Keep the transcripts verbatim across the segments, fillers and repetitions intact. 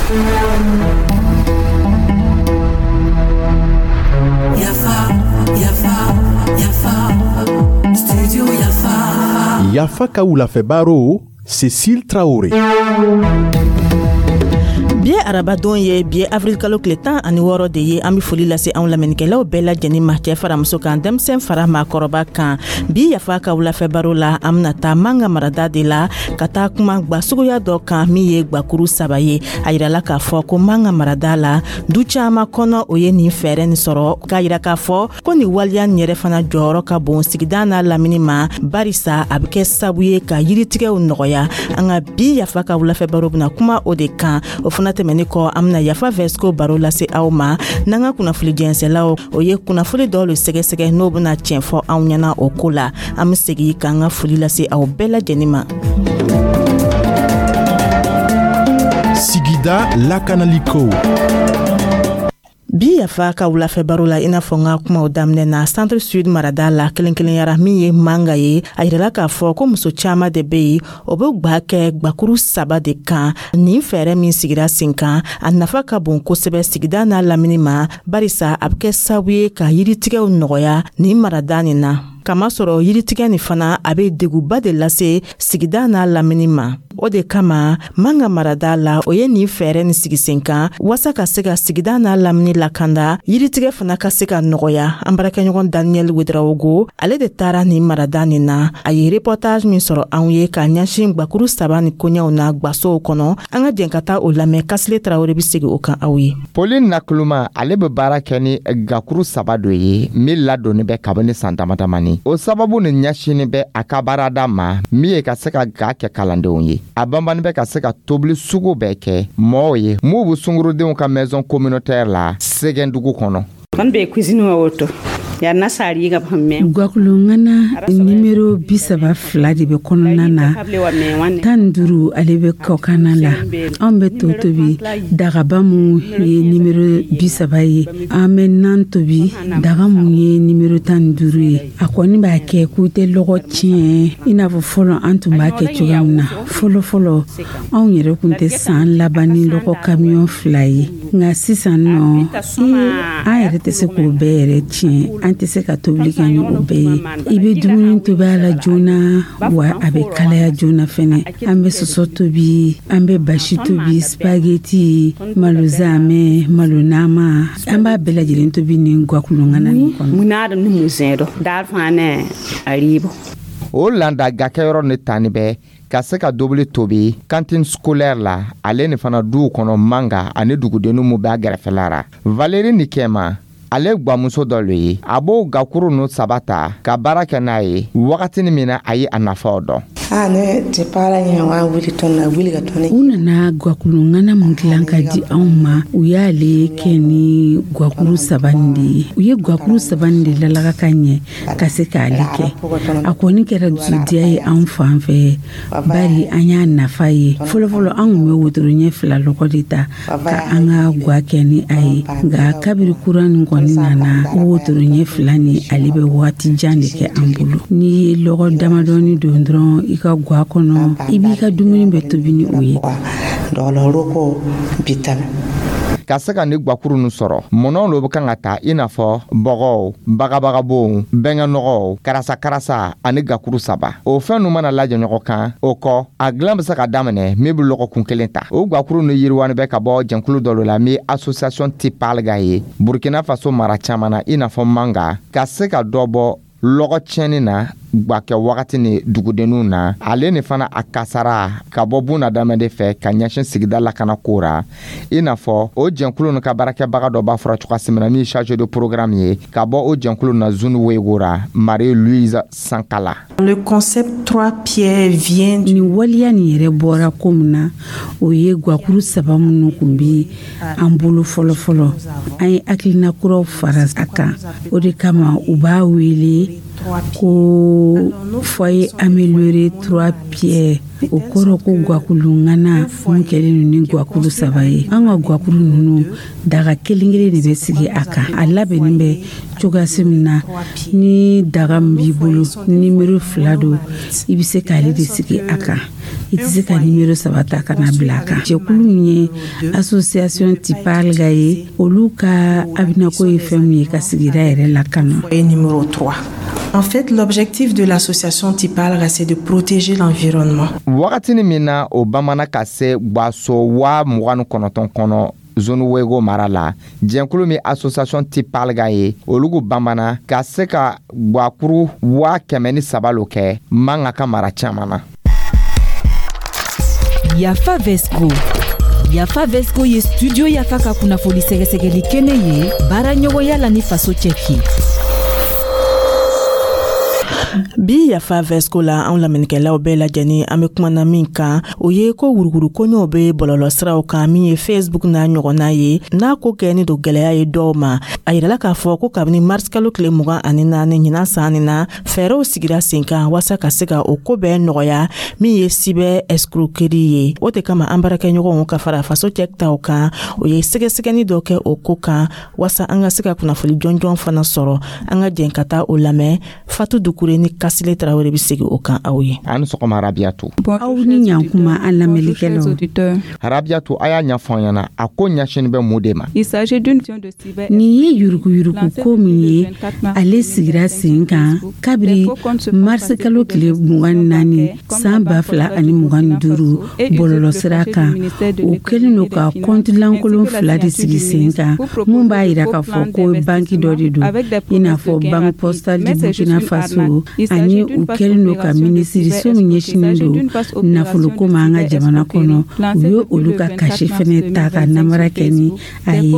Yafa, Yafa, Yafa, Studio Yafa. Yafa ka wulafɛ baro, Cécile Traoré. Bi ye arabadon ye, bi ye avril kalo tile tan ani wɔɔrɔ de ye. An be foli lase anw lamɛnnikɛlaw bɛɛ lajɛnin ma, cɛɛ fara muso kan, denmisɛn fara maakɔrɔba kan. Bi Yafa ka wulafɛ baro la, an bena taa Manga marada de la ka taa kuma gwa suguya dɔ kan min ye gwakuru saba ye. A yirala k'a fɔ ko Manga marada la, du caaman kɔnɔ, o ye nin fɛɛrɛ nin sɔrɔ, k'a yira k'a fɔ ko nin waleya nin yɛrɛ fana jɔyɔrɔ ka bon sigida n'a lamini ma, barisa a be kɛ sabu ye ka yiritigɛw nɔgɔya. An ka bi Yafa ka wulafɛ baro bena kuma o de kan. O fana tɛmɛni kɔ, an bena Yafa Vɛsiko baro lase aw ma n'an ka kunnafoli jɛnsɛlaw, o ye kunnafoli dɔw le sɛgɛsɛgɛ, n'o bena tiɲɛ fɔ anw ɲɛna o ko la. An be segi k'an ka foli lase aw bɛɛ lajɛnin ma. Sigida lakanaliko. Bi Yafa ka wulafɛ baro la, i n'a fɔ n ka kumaw daminɛ na, Centre Sud marada la, kelen kelenyara min ye Manga ye, a yirala k'a fɔ ko muso caaman de be yen, o be gwa kɛ gwakuru saba de kan. Nin fɛɛrɛ min sigira sen kan, a nafa ka bon kosɛbɛ sigida n'a lamini ma, barisa a be kɛ sababu ye ka yiritigɛw nɔgɔya nin marada nin na, kamasɔrɔ yiritigɛ nin fana, a be deguba de lase sigida n'a lamini ma. O de kama Manga marada la, o ye nin fɛɛrɛ nin sigi sen kan waasa ka se ka sigida n'a lamini lakanda, yiritigɛ fana ka se ka nɔgɔya. An baarakɛɲɔgɔn Daniel Wedrawogo, ale de taara nin marada nin na. A ye reportage min sɔrɔ anw ye k'a ɲɛsin gwakuru saba ni koɲɛw na gwasow kɔnɔ, an ka jɛn ka taa o lamɛn. Kasile Tarawele be segi o kan aw ye. Pauline Nakuluma, ale be baara kɛ ni gakuru saba dɔ ye min ladonni bɛ kabini san dama damani. O sababu ni ɲɛsinni bɛ a ka baarada ma min ye ka se ka ga kɛ kalandenw ye. A banbani bɛ ka se ka tobili sugu bɛɛ kɛ mɔɔw ye m'u bɛ sungurudenw ka maison communautaire la Sɛgɛn dugu kɔnɔ. Kɔni bɛ cuisine wa woto yan sari ka mɛn. Gwakuluŋana nimero bi saba fila de bɛ kɔnɔna na, tan ni duuru ale bɛ kɔkanna la. Anw bɛ to tobi dagaba mun ye nimero bi saba ye, an bɛ nan tobi daga mun ye nimero tan ni duuru ye. A kɔni b'a kɛ k'u tɛ lɔgɔ tiɲɛ i n'a fɔ fɔlɔ an tun b'a kɛ cogoya min na. Fɔlɔ fɔlɔ, anw yɛrɛ tun tɛ san laban ni lɔgɔ kamiyɔn fila ye, nka sisan nɔ, an yɛrɛ tɛ se k'o bɛɛ yɛrɛ tiɲɛ, an tɛ se ka tobili kɛ ni o bɛɛ ye. I bɛ dumuni tobi a la joona, wa a bɛ kalaya joona fɛnɛ. An bɛ sɔsɔ tobi, an bɛ basi tobi, spaghetti, malo zamɛ, malo nama, an b'a bɛɛ lajɛlen tobi ni gwakuluŋana nin kɔnɔ. Mun n'a ni mun zɛn dɔ daar fana a ribo. O landa gakɛyɔrɔ ni tanni bɛ ka se ka dobili tobi cantine scolaire la, ale ni fana duw kɔnɔ Manga ani dugudenninw mun b'a gɛrɛfɛla ra. Valérie Nikɛma, ale gwamuso dɔ le ye, a b'o gakuru nu saba ta ka baara kɛ n'a ye wagatini min na a ye a nafaw dɔn. U nana gwakuluŋana mun dilan ka di anw ma, u y'ale kɛ ni gwakuru saba nin de ye. U ye gwakuru saba nin de lalaga ka ɲɛ ka se k'ale kɛ. A kɔni kɛra dusudiya ye anw fan fɛ, bari an y'a nafa ye. Fɔlɔfɔlɔ, an kun bɛ wotoro ɲɛ fila lɔgɔ de ta ka an ka gwa kɛ ni a ye, nka kabiri kura nin kɔni nana, o wotoro ɲɛ fila ni ale bɛ waati jan de kɛ an bolo. N'i ye lɔgɔ damadɔni don dɔrɔn i ka gwa kɔnɔ, i b'i ka dumuni bɛɛ tobi ni o ye. Ka se ka ni gwakuru nu sɔrɔ, mɔnɔw lo bɛ kan ka ta, i n'a fɔ bɔgɔw, bagabagabonw, bɛnkɛnɔgɔw, karasa-karasa ani gakuru saba. O fɛn nu mana lajɛ ɲɔgɔn kan, o kɔ a dilan bɛ se ka daminɛ min bɛ lɔgɔkun kelen ta. O gwakuru nu yiriwani bɛ ka bɔ jɛnkulu dɔ la min association Tipalga ye Burkina Faso mara caman na, i n'a fɔ Manga, ka se ka dɔ bɔ lɔgɔ tiɲɛni na gwakɛ wagati ni dugudenninw na, ale ni fana a kasara ka bɔ bunadamaden fɛ ka ɲɛsin sigida lakana ko ra. I n'a fɔ o jɛnkulu nu ka baarakɛbaga dɔ b'a fɔra cogoya min na, min chargé de programme ye ka bɔ o jɛnkulu na zone Wego ra, Marie Louise Sankala. Le concept trois pierres vient Nin waleya nin yɛrɛ bɔra ko min na, o ye gwakuru saba minnu kun bi an bolo fɔlɔ fɔlɔ, an ye hakilina kuraw fara a kan. O de kama u b'a wele ko foyer amélioré trois pierres. O kɔrɔ ko gwakulu ŋana mun kɛlen don ni gwakulu saba ye. An ka gwakuru ninnu, daga kelen kelen de bɛ sigi a kan. A labɛnni bɛ cogoyasi min na, ni daga min b'i bolo nimero fila don, i bɛ se k'ale de sigi a kan. I tɛ se ka nimero saba ta ka na bila a kan. Jɛkulu min ye Association Tipalga ye, olu ka haminako ye fɛn min ye, ka sigida yɛrɛ lakana. Foyer numéro trois. En fait, l'objectif de l'association Tipalga, c'est de protéger l'environnement. Wagatini min na o bamana ka se gwaso waa mugan ni kɔnɔntɔn kɔnɔ Zone Wego mara la, jɛnkulu min Association Tipalga ye, olugu bamana ka se ka gwakuru waa kɛmɛ ni saba lo kɛ Manga ka mara caman na. Yafa Vesco. Yafa Vesco ye Studio Yafa ka kunnafoni sɛgɛsɛgɛli kɛnɛ ye, baara ɲɔgɔnya la ni Faso Cɛki. Bi Yafa Vesco la, anw lamɛnnikɛlaw bɛɛ lajɛlen, an be kumana min kan, o ye ko wuruguru koɲɔw be bɔlɔlɔ siraw kan, min ye Facebook n'a ɲɔgɔnna ye, n'a ko kɛni don gwɛlɛya ye dɔw ma. A yirala k'a fɔ ko kabini marisikalo tile mugan ani naani ɲinan san nin na, fɛɛrɛw sigira sen kan waasa ka se ka o ko bɛɛ nɔgɔya, min ye cyber escroquerie ye. O de kama, an baarakɛɲɔgɔnw ka fara Faso Cɛ taw kan, o ye sɛgɛsɛgɛni dɔ kɛ o ko kan, waasa an ka se ka kunnafoli jɔnjɔn fana sɔrɔ. An ka jɛn ka taa o lamɛn. Fatu Dukure ni Kasile Tarawele bɛ segin o kan aw ye. An ni sɔgɔma, Rabiyatu. Aw ni ɲankuma, an lamɛnlikɛlaw. Rabiyatu, a y'a ɲɛfɔ an ɲɛna, a ko ɲɛsini bɛ mun de ma? Nin ye yuruguyurugu ko min ye, ale sigira sen kan kabiri marisikalo tile mugan ni naani san ba fila ani mugan ni duuru bɔlɔlɔsira kan. O kɛlen don ka kɔnti lankolon fila de sigi sen kan, mun b'a yira k'a fɔ ko banki dɔ de don, i n'a fɔ Banque Postale du Burkina Faso, ani u kɛlen don ka minisiriso min ɲɛsinnen don nafoloko ma an ka jamana kɔnɔ, u ye olu ka cachet fɛnɛ ta ka namara kɛ ni a ye.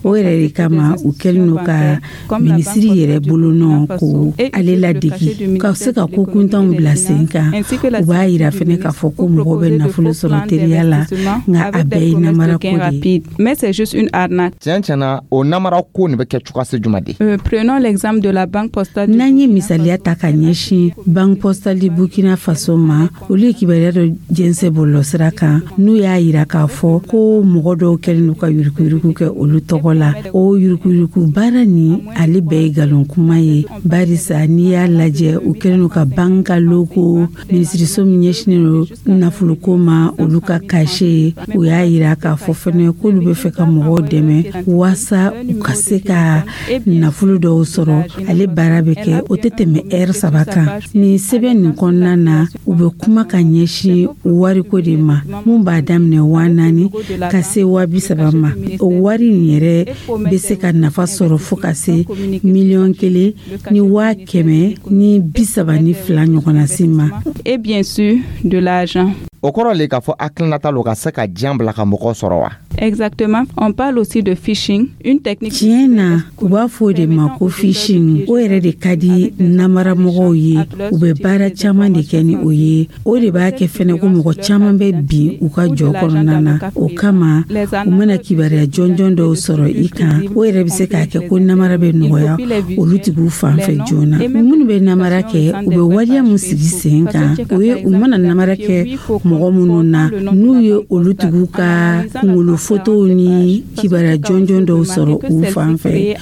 O yɛrɛ de kama, u kɛlen don ka minisiri yɛrɛ bolonɔ ko ale ladegi ka se ka ko kuntanw bila sen kan. U b'a yira fɛnɛ k'a fɔ ko mɔgɔw bɛ nafolo sɔrɔ teriya la, nka a bɛɛ ye namara ko de ye. Mais c'est juste une arnaque. Tiɲɛ tiɲɛna, o namara ko nin bɛ kɛ cogoya se jumɛn de? Euh, prenons l'exemple de la Banque Postale. N'an ye misaliya ta ka ɲɛsin Banque Postale du Burkina Faso ma, olu ye kibaruya dɔ jɛnsɛ bɔlɔlɔsira kan, n'u y'a yira k'a fɔ ko mɔgɔ dɔw kɛlen don ka yuruguyurugu kɛ olu tɔgɔ la. O yuruguyurugu baara nin, ale bɛɛ ye nkalon kuma ye, barisa n'i y'a lajɛ, u kɛlen don ka banque ka logo, minisiriso min ɲɛsinnen don nafoloko ma, olu ka cachet. U y'a yira k'a fɔ fɛnɛ k'olu bɛ fɛ ka mɔgɔw dɛmɛ waasa u ka se ka nafolo dɔw sɔrɔ. Ale baara bɛ kɛ, o tɛ tɛmɛ ɛri saba kan. Nin sɛbɛn nin kɔnɔna na, u bɛ kuma ka ɲɛsin wariko de ma, mun b'a daminɛ waa naani ka se waa bi saba ma. O wari nin yɛrɛ bɛ se ka nafa sɔrɔ fo ka se miliyɔn kelen ni waa kɛmɛ ni bi saba ni fila ɲɔgɔnna si ma. Et bien sûr, de l'argent. O kɔrɔ le k'a fɔ hakilinata lo ka se ka diɲɛ bila ka mɔgɔ sɔrɔ wa? Exactement. On parle aussi de phishing, une technique. Tiɲɛ na, u b'a fɔ o de ma ko phishing. O yɛrɛ de ka di namaramɔgɔw ye, u bɛ baara caman de kɛ ni o ye. O de b'a kɛ fɛnɛ ko mɔgɔ caman bɛ bin u ka jɔ kɔnɔna na. O kama, u mana kibaruya jɔnjɔn dɔw sɔrɔ i kan, o yɛrɛ bɛ se k'a kɛ ko namara bɛ nɔgɔya olu tigiw fan fɛ joona. Minnu bɛ namara kɛ, u bɛ waleya mun sigi sen kan, o ye u mana namara kɛ mɔgɔ minnu na, n'u ye olu tigiw ka kunkolo fotow ni kibaruya jɔnjɔn dɔw sɔrɔ u fan fɛ,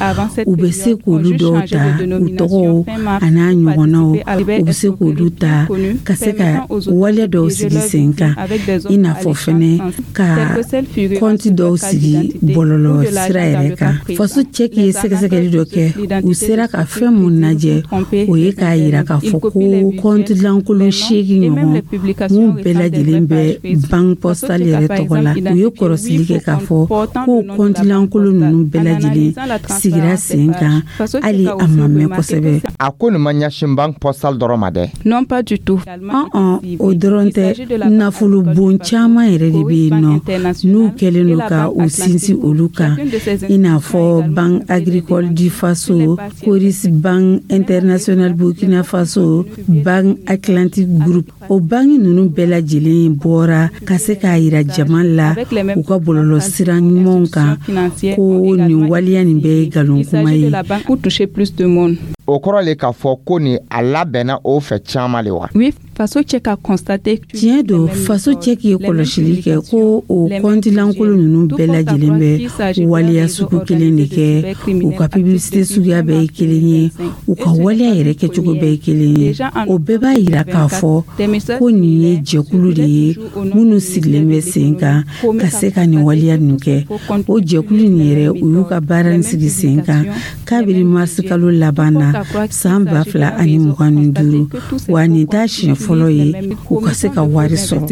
u bɛ se k'olu dɔw ta, u tɔgɔw a n'a ɲɔgɔnnaw, u bɛ se k'olu ta ka se ka waleya dɔw sigi sen kan, i n'a fɔ fɛnɛ ka kɔnti dɔw sigi bɔlɔlɔ sira yɛrɛ kan. Faso Cɛki ye sɛgɛsɛgɛli dɔ kɛ, u sera ka fɛn mun lajɛ, o ye k'a yira k'a fɔ ko kɔnti lankolon seegin ɲɔgɔn mun bɛɛ lajɛlen bɛ Banque Postale yɛrɛ tɔgɔ la. U ye kɔrɔsili kɛ k'a fɔ ko kɔnti lankolon ninnu bɛɛ lajɛlen sigira sen kan hali a ma mɛn kosɛbɛ. A ko nin ma ɲɛsin Banque Postale dɔrɔn ma dɛ? Non, pas du tout. Ɔn, o dɔrɔn tɛ. Nafolo bon caman yɛrɛ de bɛ yen nɔ n'u kɛlen don ka u sinsin olu kan, i n'a fɔ Banque Agricole du Faso, Coris Banque Internationale Burkina Faso, Banque Atlantique Group. O banque ninnu bɛɛ lajɛlen bɔra ka se k'a yira jama la u ka bɔlɔlɔ sira ɲumanw kan ko nin waleya nin bɛɛ ye nkalon kuma ye. Pour toucher plus de monde. O kɔrɔ le k'a fɔ ko nin a labɛnna o fɛ caman le wa? Oui, Faso Check a constaté. Tiɲɛ don, Faso Check ye kɔlɔsili kɛ ko o kɔntilankolon ninnu bɛɛ lajɛlen bɛ waleya sugu kelen de kɛ. U ka publicité suguya bɛɛ ye kelen ye, u ka waleya yɛrɛ kɛcogo bɛɛ ye kelen ye. O bɛɛ b'a yira k'a fɔ ko nin ye jɛkulu de ye minnu sigilen bɛ sen kan ka se ka nin waleya nin kɛ. O jɛkulu nin yɛrɛ, u y'u ka baara nin sigi sen kan kabiri marisikalo laban na san ba fila ani mugan ni duuru, wa nin t'a siɲɛ fɔlɔ ye u ka se ka wari sɔrɔ.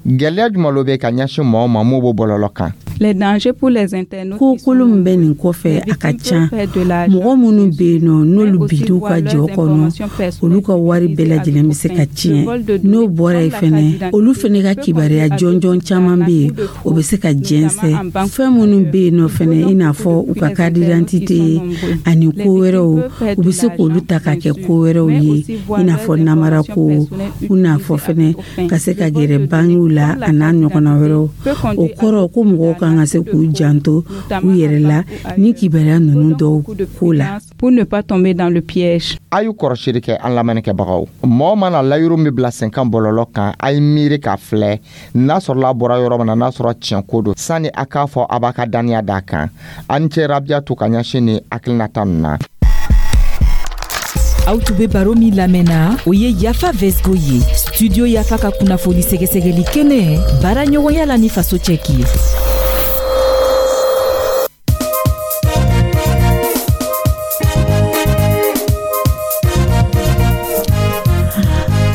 Gwɛlɛya jumɛn lo bɛ ka ɲɛsin mɔgɔw ma mun b'o bɔlɔlɔ kan? Les dangers pour les internautes. Ko kolon min bɛ nin kɔfɛ, a ka ca. Mɔgɔ minnu bɛ yen nɔ, n'olu bid'u ka jɔ kɔnɔ, olu ka wari bɛɛ lajɛlen bɛ se ka tiɲɛ. N'o bɔra yen fɛnɛ, olu fɛnɛ ka kibaruya jɔnjɔn caman bɛ yen, o bɛ se ka jɛnsɛn. Fɛn minnu bɛ yen nɔ fɛnɛ, i n'a fɔ u ka carte d'identité ani ko wɛrɛw, u bɛ se k'olu ta ka kɛ ko wɛrɛw ye, i n'a fɔ namarako, i n'a fɔ fɛnɛ ka se ka gɛrɛ bankiw la, a n'a ɲɔgɔnna wɛrɛw. O kɔrɔ ko mɔgɔw kan ka se k'u janto u yɛrɛ la ni kibaruya ninnu dɔw ko la. Pour ne pas tomber dans le piège. A y'u kɔrɔsiri kɛ, an lamɛnnikɛbagaw. Mɔgɔ mana layiru min bila sen kan bɔlɔlɔ kan, a ye miiri k'a filɛ n'a sɔrɔla a bɔra yɔrɔ min na, n'a sɔrɔ tiɲɛ ko don, sanni a k'a fɔ a b'a ka daniya d'a kan. An cɛ Rabiyatu ka ɲɛsin ni hakilinata ninnu na. Aw tun be baro min lamɛnna, o ye Yafa Vesgo ye, Studio Yafa ka kunnafoni sɛgɛsɛgɛli kɛnɛ, baara ɲɔgɔnya la ni Faso Cɛki ye.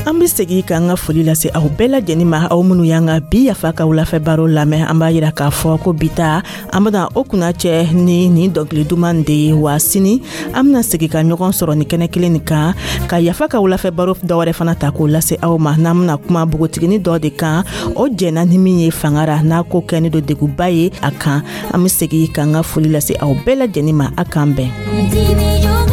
An be segi k'an ka foli lase aw bɛɛ lajɛnin ma, aw minnu y'an ka bi Yafa ka wulafɛ baro lamɛn. An b'a yira k'a fɔ ko bi ta, an bena o kunna cɛ ni nin dɔnkili duman de ye. Wa sini, an bena segi ka ɲɔgɔn sɔrɔ ni kɛnɛ kelen nin kan ka Yafa ka wulafɛ baro dɔwɛrɛ fana ta k'o lase aw ma, n'an bena kuma bogotigini dɔ de kan, o jɛnna ni min ye fanga ra, n'a ko kɛni do deguba ye a kan. An be segi k'an ka foli lase aw bɛɛ lajɛnin ma. A k'an bɛn.